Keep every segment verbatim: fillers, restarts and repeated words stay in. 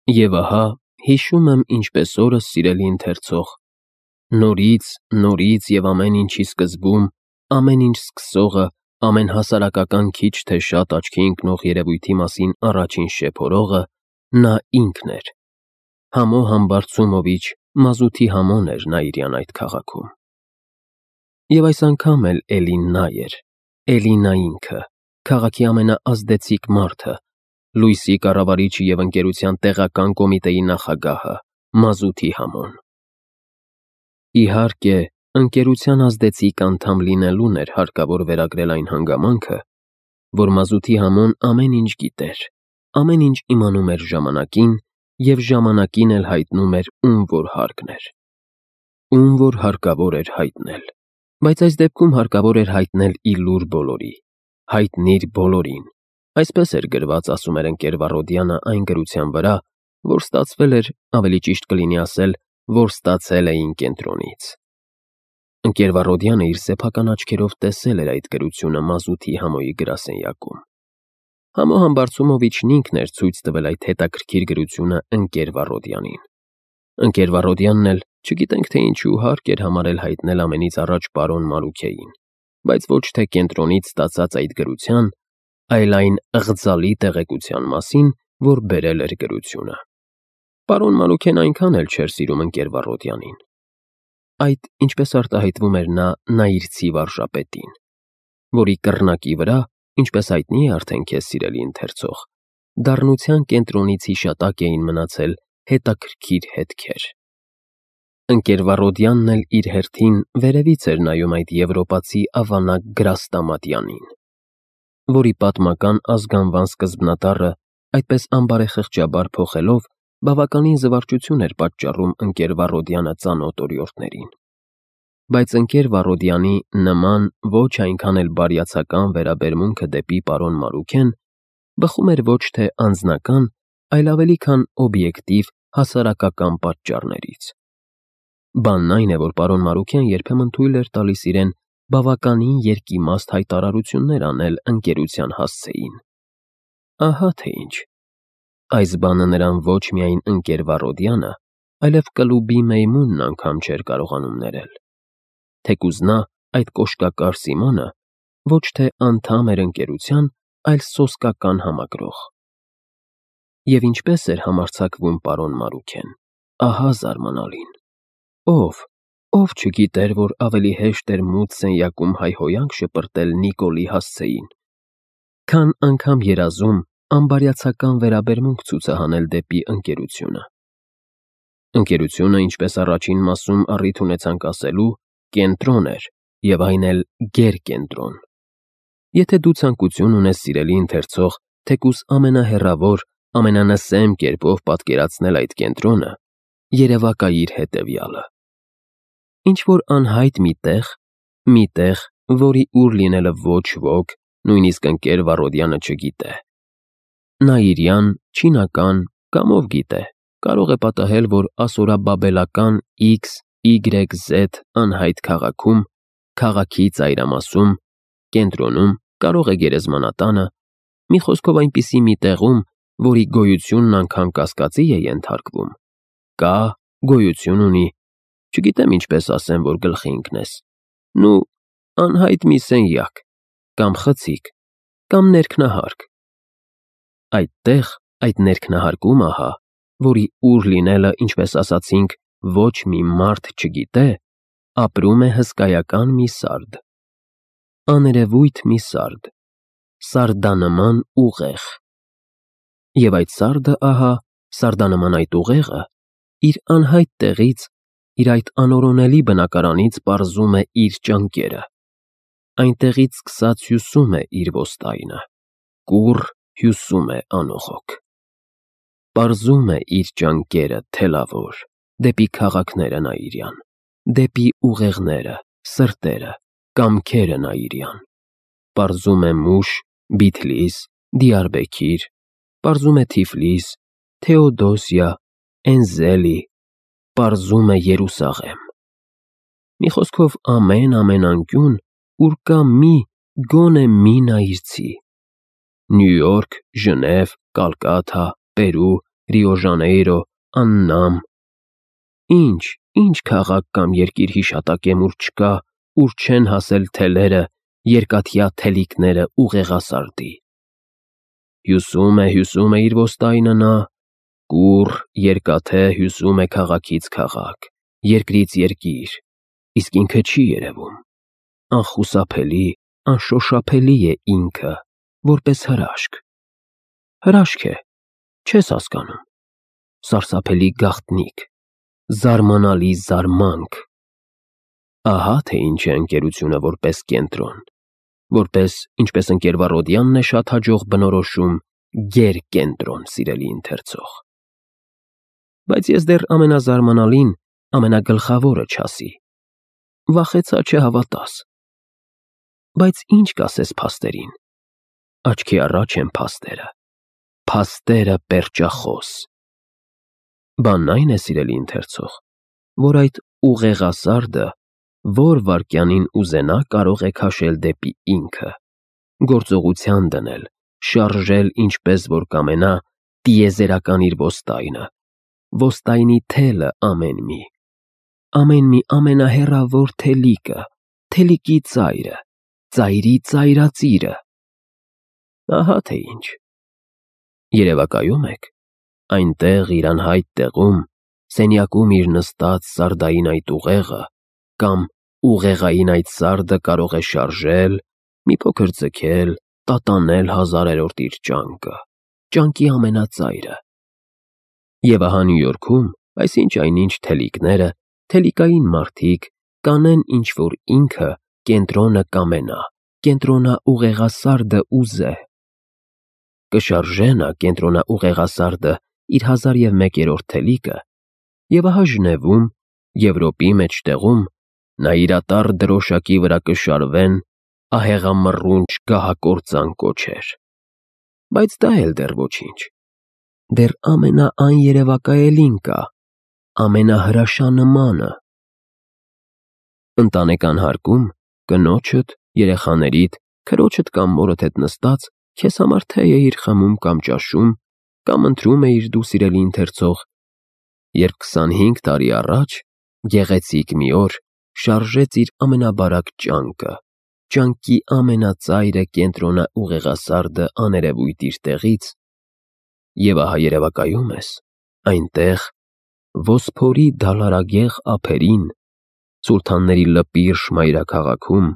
Եվ ահա, հիշում եմ ինչպես օրս, սիրելի ընթերցող, նորից, նորից և ամեն ինչի սկզբում, ամեն ինչ սկսողը, ամեն հասարակական քիչ թե շատ աչքի ընկնող երևույթի մասին առաջին շեփորողը նա ինքն էր։ Համո Համբարձումովիչ Մազութի Համոն էր Նաիրյան այդ քաղաքում։ Եվ այս անգամ էլ էլի նա էր, էլի նա ինքը, քաղաքի ամենաազդեցիկ մարդը, լույսի կառավարիչը և ընկերության տեղական կոմիտեի նախագահը, Մազութի Համոն։ Իհարկե, ընկերության ազդեցիկ անդամ լինելուն էր հարկավոր վերագրել այն հանգամանքը, որ Մազութի Համոն ամեն ինչ գիտեր, ամեն ինչ իմանում էր ժամանակին և ժամանակին էլ հայտնում էր ում որ հարկն էր, ում որ հարկավոր էր հայտնել, բայց այս դեպքում հարկավոր էր հայտնել ի լուր բոլորի, հայտնիր բոլորին, այսպես էր գրված, ասում էր ընկեր Վառոդյանը այն գրության վրա, որ ստացվել էր, ավելի ճիշտ կլինի ասել, որ ստացել էին կենտրոնից։ Ընկեր Վառոդյանը իր սեփական աչքերով տեսել էր այդ գրությունը Մազութի Համոյի գրասենյակում։ Համո Համբարձումովիչն ինքն էր ցույց տվել այդ հետաքրքիր գրությունը ընկեր Վառոդյանին։ Ընկեր Վառոդյանն էլ, չգիտենք թե ինչու, հարկ էր համարել հայտնել ամենից առաջ պարոն Մարուքեին, բայց ոչ թե կենտրոնից ստացած այդ գրության, այլ այն ըղձալի տեղեկության մասին, որ բերել էր գրությունը։ Պարոն Մարուքեն այնքան էլ չէր սիրում ընկեր Վառոդյանին։ Այդ, ինչպես արտահայտվում էր նա նայիրցի վարժապետին, որի կռնակի վրա, ինչպես հայտնի է արդեն քեզ սիրելի ընթերցող, դառնության կենտրոնից հիշատակ էին մնացել հետաքրքիր հետքեր։ Ընկեր Վառոդյանն էլ իր հերթին վերևից էր նայում այդ եվրոպացի ավանակ Գրաստամատյանին, որի պատմական ազգանվան սկզբնատառը այդպես անբարեխղճաբար փոխելով բավականին զվարճություն էր պատճառում ընկեր Վառոդյանը ծանոթ օրիորդներին։ Բայց ընկեր Վառոդյանի նման ոչ այնքան էլ բարյացակամ վերաբերմունքը դեպի պարոն Մարուքեն բխում էր ոչ թե անձնական, այլ ավելի քան օբյեկտիվ հասարակական պատճառներից։ Բանն այն է, որ պարոն Մարուքյան երբեմն թույլ էր տալիս իրեն բավականին երկիմաստ հայտարարություններ անել ընկերության հասցեին։ Ահա թե ինչ։ Այս բանը նրան ոչ միայն ընկեր Վառոդյանը, այլև կլուբի Մեյմունն անգամ չէր կարողանում ներել։ Թեկուզ նա, այդ կոշկակար Սիմոնը, ոչ թե անդամ էր ընկերության, այլ սոսկական համադրող։ Եվ ինչպես էր համարձակվում պարոն Մարուքեն, ահա զարմանալին։ Ով, ով չգիտեր, որ ավելի հեշտ էր մութ սենյակում հայհոյանք շպրտել Նիկոլի հասցեին, քան անգամ երազում անբարյացական վերաբերմունք ցուցահանել դեպի ընկերությունը։ Ընկերությունը, ինչպես առաջին մասում առիթ ունեցանք ասելու, կենտրոն էր, և այն էլ գերկենտրոն։ Եթե դու ցանկություն ունես, սիրելի ընթերցող, թեկուզ ամենահեռավոր, ամենանսեմ կերպով պատկերացնել այդ կենտրոնը, երևակայիր հետևյալը։ Ինչ-որ անհայտ մի տեղ, մի տեղ, որի ուր լինելը ոչ ոք, նույնիսկ ընկեր Վառոդյանը չգիտե։ Նաիրյան, չինական, կամ ով գիտե, կարող է պատահել, որ ասորաբաբելական X, Y, Z անհայտ քաղաքում, քաղաքի ծայրամասում, կենտրոնում, կարող է գերեզմանատանը, մի խոսքով այնպիսի մի տեղում, որի գոյությունն անգամ կասկածի է ենթարկվում, կա, գոյություն ունի, չգիտեմ ինչպես ասեմ, որ գլխի ընկնես, նու, անհայտ մի սենյակ, կամ խցիկ, կամ ներքնահարկ։ Այդտեղ, այդ ներքնահարկում ահա, որի ուր լինելը, ինչպես ասացինք, ոչ մի մարդ չգիտե, ապրում է հսկայական մի սարդ, աներևույթ մի սարդ, սարդանման ուղեղ։ Եվ այդ սարդը, ահա, սարդանման այդ ուղեղը, իր անհայտ տեղից, իր այդ անորոնելի բնակարանից պարզում է իր ճանկերը, այնտեղից սկսած հյուսում է իր ոստայնը, կուռ հյուսում է անողոք, պարզում է իր ճանկերը թելավոր, դեպի քաղաքները Նաիրյան, դեպի ուղեղները, սրտերը, կամքերը Նաիրյան, պարզում է Մուշ, Բիթլիս, Դիարբեքիր, պարզում է Թիֆլիս, Թեոդոսիա, Էնզելի, պարզում է Երուսաղեմ։ Մի խոսքով ամեն ամեն անկյուն, ուր կա մի, գոնե մի նայիրցի։ Նյու Յորք, Ժնև, Կալկաթա, Պերու, Ռիո Ժանեյրո, Աննամ։ Ինչ, ինչ քաղաք կամ երկիր հիշատակեմ, ուր չկա, ուր չեն հասել թելերը, երկաթյա թելիկները ուղեղասարդի։ Հյուսում է, հյուսում է իր ոստայնը նա, կուռ, երկաթե հյուսում է քաղաքից քաղաք, երկրից երկիր, իսկ ինքը չի երևում։ Անխուսափելի, անշոշափելի է ինքը, որպես հրաշք։ Հրաշք է, չես հասկանում։ Սարսափելի գաղտնիք, զարմանալի զարմանք։ Ահա թե ինչ է ընկերությունը որպես կենտրոն, որպես, ինչպես ընկեր Վառոդյանն է շատ հաջող բնորոշում, գերկենտրոն, սիրելի ընթերցող։ Բայց ես դեռ ամենազարմանալին, ամենագլխավորը չասի։ Վախեցա չհավատաս։ Բայց ինչ կասես փաստերին։ Աչքի առաջ են փաստերը, փաստերը պերճախոս։ Բանն այն է, սիրելի ընթերցող, որ այդ ուղեղասարդը, որ վայրկյանին ուզենա, կարող է քաշել դեպի ինքը, գործողության դնել, շարժել ինչպես որ կամենա, տիեզերական իր ոստայնը, ոստայնի թելը ամեն մի, ամեն մի ամենահեռավոր թելիկը, թելիկի ծայրը, ծայրի ծայրածիրը։ Ահա թե ինչ։ Երևակայում եք, այնտեղ իր անհայտ տեղում, սենյակում իր նստած սարդային այդ ուղեղը, կամ ուղեղային այդ սարդը կարող է շարժել, մի փոքր ձգել, տատանել հազարերորդ իր ճանկը, ճանկի ամենածայրը։ Եվ ահա Նյու Յորքում, այսինչ այնինչ թելիկները, թելիկային մարդիկ կանեն ինչ-որ ինքը կենտրոնը կամենա, կենտրոնա ուղեղասարդը ուզե։ Կշարժե նա կենտրոնա ուղեղասարդը իր հազար և մեկերորդ թելիկը, և ահա Ժնևում, Եվրոպի մեջտեղում, նա իր ատառ դրոշակի վրա կշարվեն ահեղամռունչ գահակործան կոչեր։ Բայց դա էլ դեռ ոչինչ։ Դեռ ամենաաներևակայելին կա, ամենահրաշանմանը։ Ընտանեկան հարկում կնոջդ, երեխաներիդ, քրոջդ կամ մորդ հետ նստած քեզ համար թե էիր խմում կամ ճաշում, կամ ընթրում էիր դու, սիրելի ընթերցող, երբ քսանհինգ տարի առաջ գեղեցիկ մի օր շարժեց իր ամենաբարակ ճանկը, ճանկի ամենածայրը կենտրոնա ուղեղասարդը աներևույթ իր տեղից, և ահա երևակայում ես, այնտեղ, Վոսփորի դալարագեղ ափերին, սուլթանների լպիրշ մայրաքաղաքում,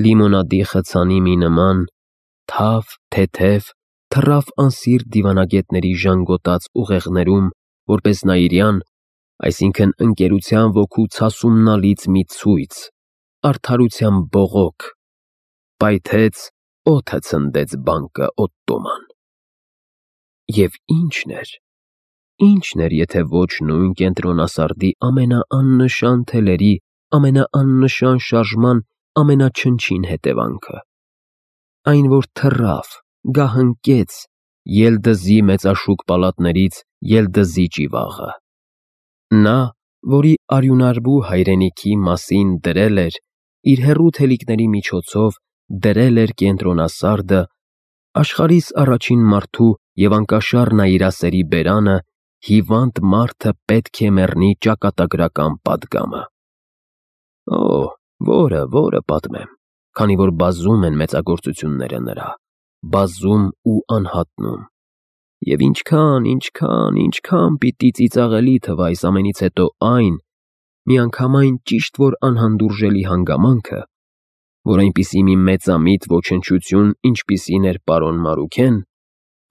լիմոնադի խցանի մի նման, թավ, թեթև, թռավ անսիրտ դիվանագետների ժանգոտած ուղեղներում, որպես նայիրյան, այսինքն ընկերության ոգու ցասումնալից մի ցույց, արդարության բողոք, պայթեց, օդը ցնդեց բանկը Օտտոման։ Եվ ի՞նչն էր, ի՞նչն էր, եթե ոչ նույն կենտրոնասարդի ամենաաննշան թելերի, ամենաաննշան շարժման ամենաչնչին հետևանքը։ Այն, որ թռավ, գահընկեց, ելդզի մեծաշուկ պալատներից ելդզի ճիվաղը։ Նա, որի արյունարբու հայրենիքի մասին դրել էր, իր հեռու թելիկների միջոցով դրել էր կենտրոնասարդը, աշխարհիս առաջին մարդու և անկաշար նայիրասերի բերանը, հիվանդ մարդը պետք է մեռնի ճակատագրական պատգամը։ Օ, որը, որը պատմեմ, քանի որ բազում են մեծագործությունները նրա, բազում ու անհատնում, և ինչքան, ինչքան, ինչքան պիտի ծիծաղելի թվա այս ամենից հետո այն, միանգամայն ճիշտ որ անհանդուրժելի հանգամանքը, որ այնպիսի մի մեծամիտ ոչնչություն, ինչպիսին էր պարոն Մարուքեն,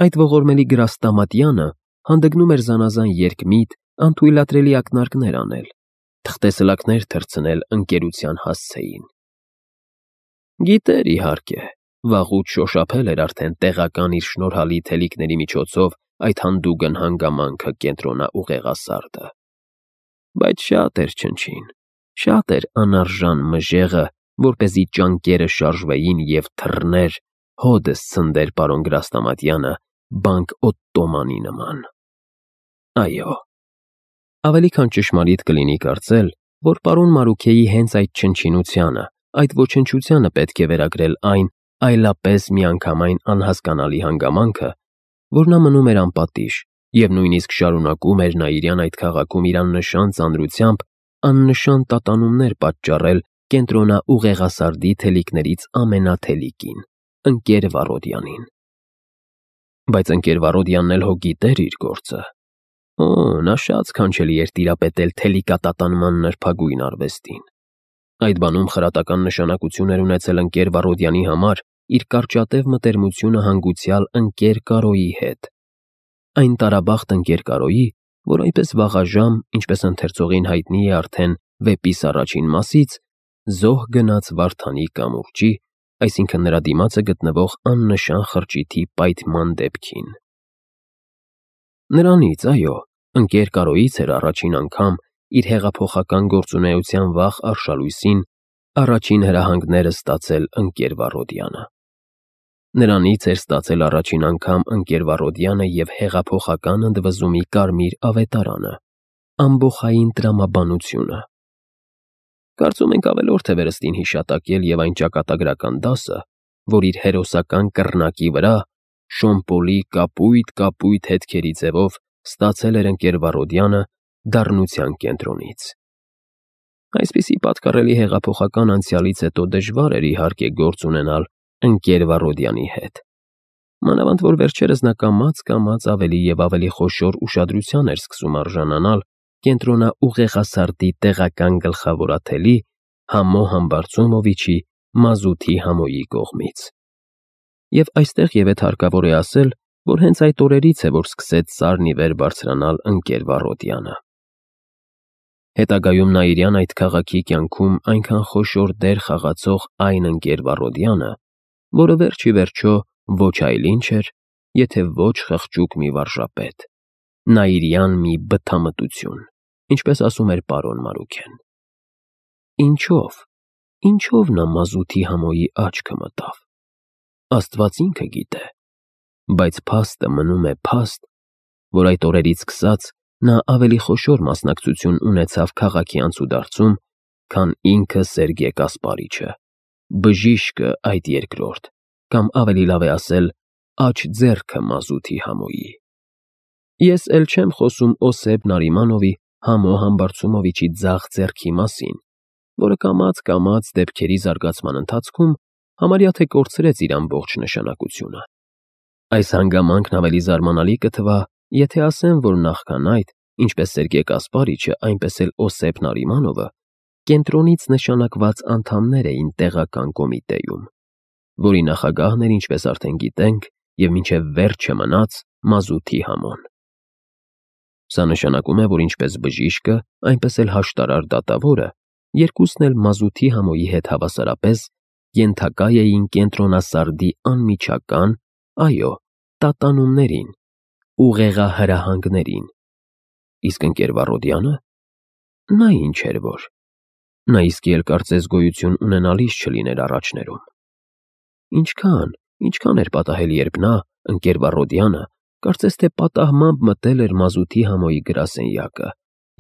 այդ ողորմելի Գրաստամատյանը հանդգնում էր զանազան երկմիտ, անթույլատրելի ակնարկներ անել, թղթեսլաքներ թռցնել ընկերության հասցեին։ Գիտեր, իհարկե, վաղուց շոշափել էր արդեն տեղական իր շնորհալի թելիկների միջոցով այդ հանդուգն հանգամանքը կենտրոնա ուղեղասարդը։ Բայց շատ էր չնչին, շատ էր անարժան մժեղը, որպեսզի ճանկերը շարժվեին և թռներ, հոդս ցնդեր պարոն Գրաստամատյանը բանկ Օտտոմանի նման։ Այո, ավելի քան ճշմարիտ կլինի կարծել, որ պարոն Մարուքեի հենց այդ չնչինությանը, այդ ոչնչությանը պետք է վերագրել այն այլապես միանգամայն անհասկանալի հանգամանքը, որ նա մնում էր անպատիժ, Եվ նույնիսկ շարունակում էր Նաիրյան այդ քաղաքում իր աննշան ծանրությամբ աննշան տատանումներ պատճառել կենտրոնաուղեղասարդի թելիկներից ամենաթելիկին, ընկեր Վառոդյանին։ Բայց ընկեր Վառոդյանն էլ հո գիտեր իր գործը։ Օ, նա շատ սքանչելի էր տիրապետել թելիկատատանման նրբագույն արվեստին։ Այդ բանում խրատական նշանակություն էր ունեցել ընկեր Վառոդյանի համար իր կարճատև մտերմությունը հանգուցյալ ընկեր Կարոյի հետ։ Այն տարաբախտ ընկեր Կարոյի, որ այնպես վաղաժամ, ինչպես ընթերցողին հայտնի է արդեն վեպիս առաջին մասից, զոհ գնաց Վարդանի կամուրջի, այսինքն նրա դիմացը գտնվող աննշան խրճիթի պայթման դեպքին։ Նրանից, այո, ընկեր Կարոյից էր առաջին անգամ իր հեղափոխական գործունեության վաղ արշալույսին առաջին հրահանգները ստացել ընկեր Վառոդյանը։ Նրանից էր ստացել առաջին անգամ ընկեր Վառոդյանը և հեղափոխական ընդվզումի կարմիր ավետարանը, ամբոխային տրամաբանությունը։ Կարծում ենք ավելորդ է վերստին հիշատակել և այն ճակատագրական դասը, որ իր հերոսական կռնակի վրա Շոմպոլի կապույտ-կապույտ հետքերի ձևով ստացել էր ընկեր Վառոդյանը դառնության կենտրոնից։ Այսպիսի պատկառելի հեղափոխական անցյալից հետո դժվար էր իհարկե գործ ունենալ ընկեր Վառոդյանի հետ։ Մանավանդ որ վերջերս նա կամաց-կամաց ավելի և ավելի խոշոր ուշադրության էր սկսում արժանանալ կենտրոնաուղեղասարդի տեղական գլխավորատելի Համո Համբարձումովիչի մազութի Համոյի կողմից։ Եվ այստեղ ևեթ հարկավոր է ասել, որ հենց այդ օրերից է, որ սկսեց սարն ի վեր բարձրանալ ընկեր Վառոդյանը։ Հետագայում Նաիրյան այդ քաղաքի կյանքում այնքան խոշոր դեր խաղացող այն ընկեր Վառոդյանը, որը վերջ ի վերջո ոչ այլ ինչ էր, եթե ոչ խղճուկ մի վարժապետ, Նաիրյան մի բթամտություն, ինչպես ասում էր պարոն Մարուքեն։ Ինչո՞վ, ինչո՞վ նա մազութի Համոյի աչքը մտավ։ Աստված ինքը գիտե, բայց փաստը մնում է փաստ, որ այդ օրերից սկսած նա ավելի խոշոր մասնակցություն ունեցավ քաղաքի անցուդարձում, քան ինքը Սերգեյ Կասպարիչը, բժիշկը այդ երկրորդ, կամ ավելի լավ է ասել, աջ ձեռքը մազութի Համոյի։ Ես էլ չեմ խոսում Օսեփ Նարիմանովի Համո Համբարձումովիչի ձախ ձեռքի մասին, որը կամաց-կամաց դեպքերի զարգացման ընթացքում համարյա թե կորցրեց իր ամբողջ նշանակությունը։ Այս հանգամանքն ավելի զարմանալի կթվա, եթե ասեմ, որ նախքան այդ, ինչպես Սերգեյ Կասպարիչը, այնպես էլ Օսեփ Նարիմանովը, կենտրոնից նշանակված անդամներ էին տեղական կոմիտեում, որի նախագահն էր, ինչպես արդեն գիտենք, և մինչև վերջը մնաց մազութի Համոն։ Սա նշանակում է, որ ինչպես բժիշկը, այնպես էլ հաշտարար դատավորը, երկուսն էլ մազութի Համոյի հետ հավասարապես ենթակա էին կենտրոնասարդի անմիջական, այո, տատանումներին, ուղեղահրահանգներին։ Իսկ ընկեր Վառոդյանը, նա ինչ էր որ, նա իսկի էլ կարծես գոյություն ունենալիս չլիներ առաջներում։ Ինչքան, ինչքան էր պատահել, երբ նա, ընկեր Վառոդյանը, կարծես թե պատահմամբ մտել էր մազութի Համոյի գրասենյակը,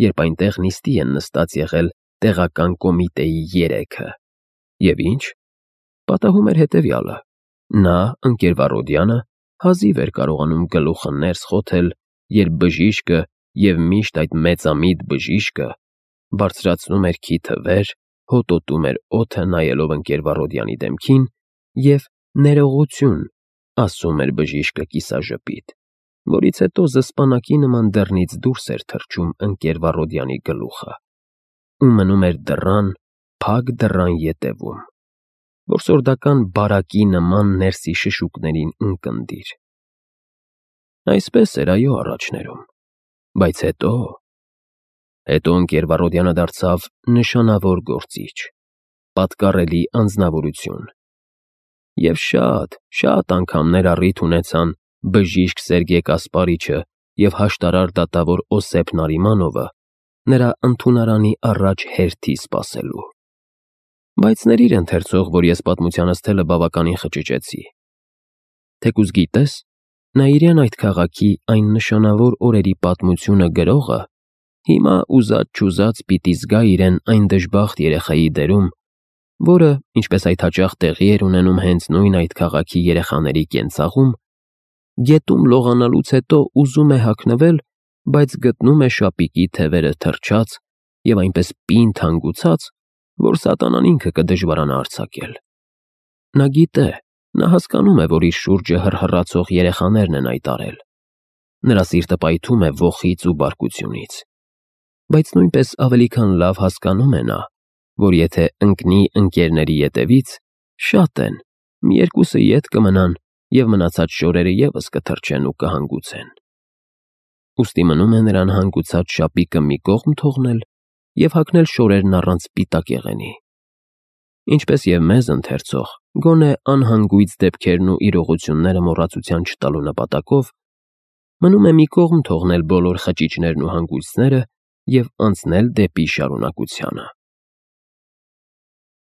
երբ այնտեղ նիստի են նստած եղել տեղական կոմիտեի երեքը։ Եվ ինչ, պատահում էր հետևյալը. նա, ընկեր Վառոդյանը, հազիվ էր կարողանում գլուխը ներս խոթել, երբ բժիշկը և միշտ այդ մեծամիտ բժիշկը բարձրացնում էր քիթը վեր, հոտոտում էր օդը նայելով ընկեր Վառոդյանի դեմքին և ներողություն, ասում էր բժիշկը կիսաժպիտ, որից հետո զսպանակի նման դռնից դուրս էր թռչում ընկեր Վառոդյանի գլուխը ու մնում էր դռան, փակ դռան ետևում, որսորդական բարակի նման ներսի շշուկներին ունկնդիր։ Այսպես էր, այո, առաջներում, բայց հետո… Հետո ընկեր Վառոդյանը դարձավ նշանավոր գործիչ, պատկառելի անձնավորություն։ Եվ շատ, շատ անգամներ առիթ ունեցան բժիշկ Սերգեյ Կասպարիչը և հաշտարար դատավոր Օսեփ Նարիմանովը նրա ընդունարանի առաջ հերթի սպասելու։ Բայց ների՛ր ընթերցող, որ ես պատմությանս թելը բավականին խճճեցի։ Թեկուզ գիտես, Նաիրյան այդ քաղաքի այն նշանավոր օրերի պատմությունը գրողը հիմա ուզած-չուզած պիտի զգա իրեն այն դժբախտ երեխայի դերում, որը, ինչպես այդ հաճախ տեղի էր ունենում հենց նույն այդ քաղաքի երեխաների կենցաղում, Գետում լողանալուց հետո ուզում է հագնվել, բայց գտնում է շապիկի թևերը թրջած և այնպես պինդ հանգուցած, որ սատանան ինքը կդժվարանա արձակել։ Նա գիտե, նա հասկանում է, որ իր շուրջը հռհռացող երեխաներն են այդ արել։ Նրա սիրտը պայթում է ոխից ու բարկությունից։ Բայց նույնպես ավելի քան լավ հասկանում է նա, որ եթե ընկնի ընկերների ետևից, շատ են, մի երկուսը ետ կմնան և մնացած շորերը ևս կթրջեն ու կհանգուցեն։ Ուստի մնում է նրան հանգուցած շապիկը մի կողմ թողնել և հագնել շորերն առանց սպիտակեղենի։ Ինչպես և մեզ ընթերցող, գոնե անհանգույց դեպքերն ու իրողությունները մոռացության չտալու նպատակով, մնում է մի կողմ թողնել բոլոր խճիճներն ու հանգույցները և անցնել դեպի շարունակությանը։